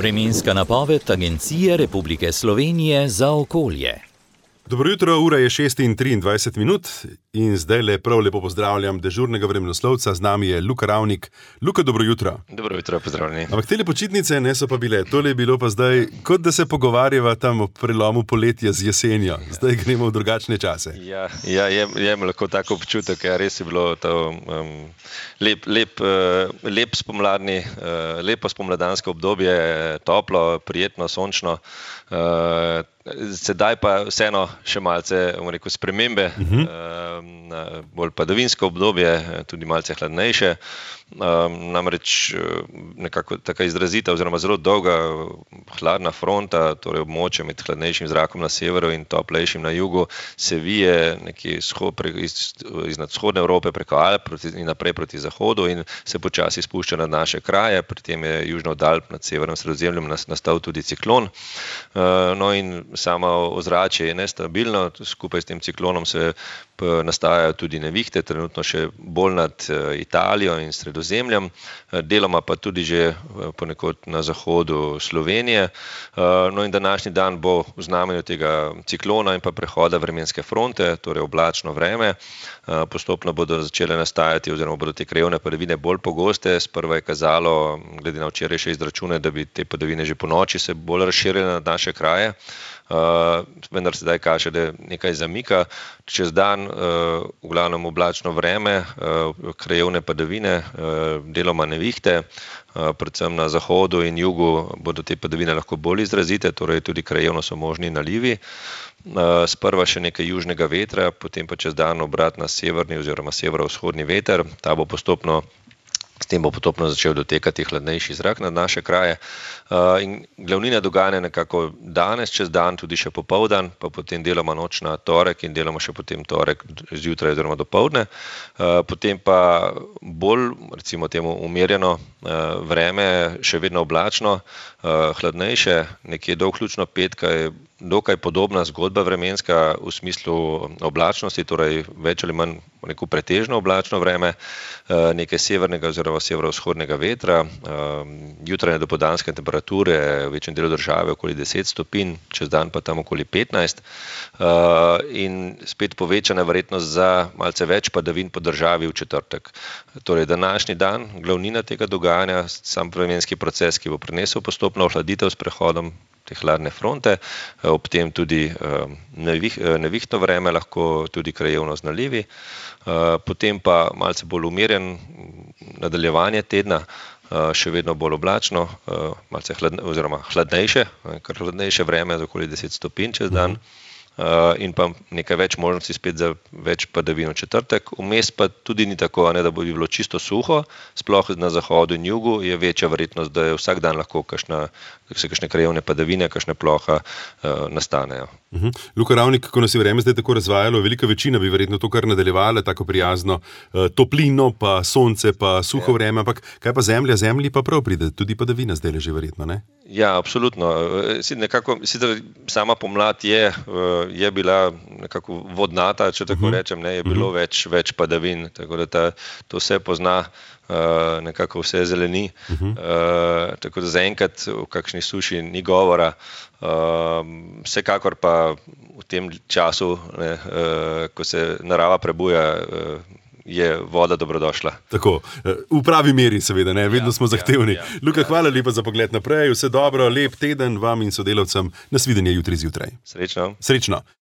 Vremenska napoved Agencije Republike Slovenije za okolje. Dobro jutro, ura je 6:23 in zdaj prav lepo pozdravljam dežurnega vremenoslovca, z nami je Luka Ravnik. Luka, dobro jutro. Dobro jutro, pozdravljeni. Ampak tele počitnice ne so pa bile, tole je bilo pa zdaj, kot da se pogovarjava tam o prelomu poletja z jesenjo. Zdaj gremo v drugačne čase. Ja, jem lahko tako občutek, res je bilo to lep spomladni, lepo spomladansko obdobje, toplo, prijetno, sončno. Sedaj pa vseeno še malce, rekel, spremembe, bolj padavinsko obdobje, tudi malce hladnejše. Namreč nekako taka izrazita oziroma zelo dolga hladna fronta, torej območje med hladnejšim zrakom na severu in toplejšim na jugu, se vije nekje iznad vzhodne Evrope preko Alp in naprej proti zahodu in se počasi spušča na naše kraje. Pri tem je južno od Alp nad severnim Sredozemljem nastal tudi ciklon. No in samo ozračje je nestabilno, skupaj s tem ciklonom se nastajajo tudi nevihte, trenutno še bolj nad Italijo in Sredozemljem, deloma pa tudi že ponekod na zahodu Slovenije. No in današnji dan bo v znamenju tega ciklona in pa prehoda vremenske fronte, torej oblačno vreme. Postopno bodo začele nastajati oziroma bodo te krajevne padavine bolj pogoste. Sprva je kazalo, glede na včerajšnje izračune, da bi te padavine že ponoči se bolj razširile na naše kraje. Vendar sedaj kaže, da nekaj zamika. Čez dan v glavnem oblačno vreme, krajevne padavine, deloma nevihte, predvsem na zahodu in jugu bodo te padavine lahko bolj izrazite, torej tudi krajevno so možni nalivi. Sprva še nekaj južnega vetra, potem pa čez dan obrat na severni oziroma severovzhodni veter. S tem bo postopno začel dotekati hladnejši zrak nad naše kraje. In glavnina dogajanja nekako danes, čez dan, tudi še popoldan, pa potem deloma noč na torek in deloma še potem torek zjutraj oziroma dopoldne. Potem pa bolj, recimo temu, umirjeno vreme, še vedno oblačno, hladnejše, nekje do vključno petka je dokaj podobna zgodba vremenska v smislu oblačnosti, torej več ali manj neko pretežno oblačno vreme, nekaj severnega oziroma severovzhodnega vetra, jutranje dopoldanske temperature v večjem delu države okoli 10 stopinj, čez dan pa tam okoli 15, in spet povečana verjetnost za malce več padavin po državi v četrtek. Torej današnji dan, glavnina tega dogajanja, sam vremenski proces, ki bo prinesel postopno ohladitev s prehodom te hladne fronte, ob tem tudi nevihtno vreme, lahko tudi krajevno z nalivi, potem pa malce bolj umirjen nadaljevanje tedna, še vedno bolj oblačno, malce hladnejše, kar hladnejše vreme za okoli 10 stopinj čez dan, in pa nekaj več možnosti spet za več padavin v četrtek. Vmes pa tudi ni tako, da bi bilo čisto suho, sploh na zahodu in jugu je večja verjetnost, da je vsak dan lahko kakšne krajevne padavine, kakšne ploha nastanejo. Luka Ravnik, ko nas je vreme zdaj tako razvajalo, velika večina bi verjetno to kar nadaljevala, tako prijazno, toplino, pa sonce, pa suho vreme, ampak kaj pa zemlja? Zemlji pa prav pride, tudi padavina zdaj že verjetno, ne? Ja, absolutno. Sicer sama pomlad je bila nekako vodnata, če tako rečem, je bilo več padavin, tako da to se pozna, nekako vse zeleni, tako da zaenkrat v kakšni suši ni govora. Vsekakor pa v tem času, ko se narava prebuja, je voda dobrodošla. Tako, v pravi meri seveda, vedno smo zahtevni. Luka, hvala lepa za pogled naprej, vse dobro, lep teden vam in sodelavcem, nasvidenje jutri zjutraj. Srečno. Srečno.